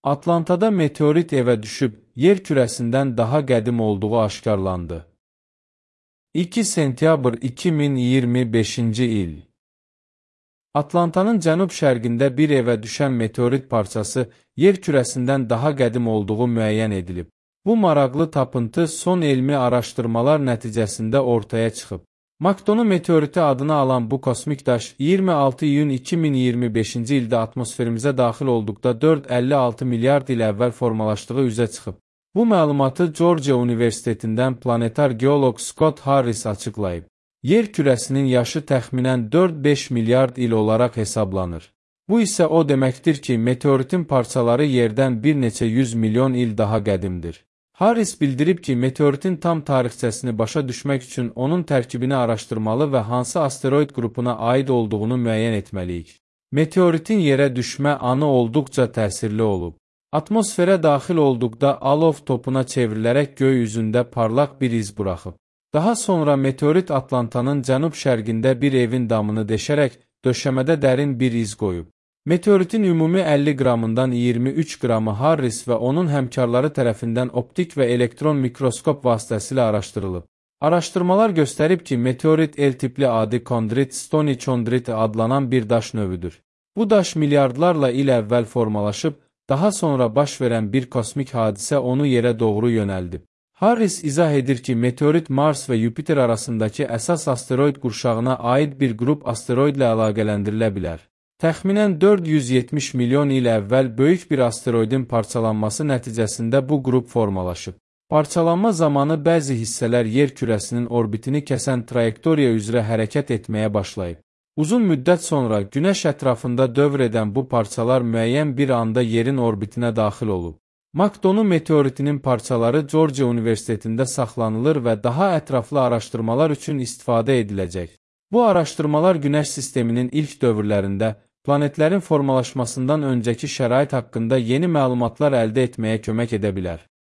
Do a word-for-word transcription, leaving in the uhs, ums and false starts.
Atlantada meteorit evə düşüb, yer kürəsindən daha qədim olduğu aşkarlandı. iki sentyabr iki min iyirmi beşinci il. Atlantanın cənub-şərqində bir evə düşən meteorit parçası yer kürəsindən daha qədim olduğu müəyyən edilib. Bu maraqlı tapıntı son elmi araşdırmalar nəticəsində ortaya çıxıb. Makdonu meteoriti adını alan bu kosmik daş iyirmi altı iyun iki min iyirmi beşinci ildə atmosferimizə daxil olduqda dörd nöqtə əlli altı milyard il əvvəl formalaşdığı üzə çıxıb. Bu məlumatı Georgia Universitetindən planetar geoloq Scott Harris açıqlayıb. Yer kürəsinin yaşı təxminən dörd beş milyard il olaraq hesablanır. Bu isə o deməkdir ki, meteoritin parçaları yerdən bir neçə yüz milyon il daha qədimdir. Harris bildirib ki, meteoritin tam tarixçəsini başa düşmək üçün onun tərkibini araşdırmalı və hansı asteroid qrupuna aid olduğunu müəyyən etməliyik. Meteoritin yerə düşmə anı olduqca təsirli olub. Atmosferə daxil olduqda alov topuna çevrilərək göy üzündə parlaq bir iz buraxıb. Daha sonra meteorit Atlantanın cənub-şərqində bir evin damını deşərək döşəmədə dərin bir iz qoyub. Meteoritin ümumi əlli qramından iyirmi üç qramı Harris və onun həmkarları tərəfindən optik və elektron mikroskop vasitəsilə araşdırılıb. Araşdırmalar göstərib ki, meteorit L tipli adi kondrit stony chondrit adlanan bir daş növüdür. Bu daş milyardlarla il əvvəl formalaşıb, daha sonra baş verən bir kosmik hadisə onu yerə doğru yönəldib. Harris izah edir ki, meteorit Mars və Yupiter arasındakı əsas asteroid qurşağına aid bir qrup asteroidlə əlaqələndirilə bilər. Təxminən dörd yüz yetmiş milyon il əvvəl böyük bir asteroidin parçalanması nəticəsində bu qrup formalaşıb. Parçalanma zamanı bəzi hissələr yer kürəsinin orbitini kəsən trayektoriya üzrə hərəkət etməyə başlayıb. Uzun müddət sonra Günəş ətrafında dövr edən bu parçalar müəyyən bir anda yerin orbitinə daxil olub. Makdonu meteoritinin parçaları Georgia Universitetində saxlanılır və daha ətraflı araşdırmalar üçün istifadə ediləcək. Bu araşdırmalar Günəş sisteminin ilk dövrlərində planetlərin formalaşmasından öncəki şərait haqqında yeni məlumatlar əldə etməyə kömək edə bilər.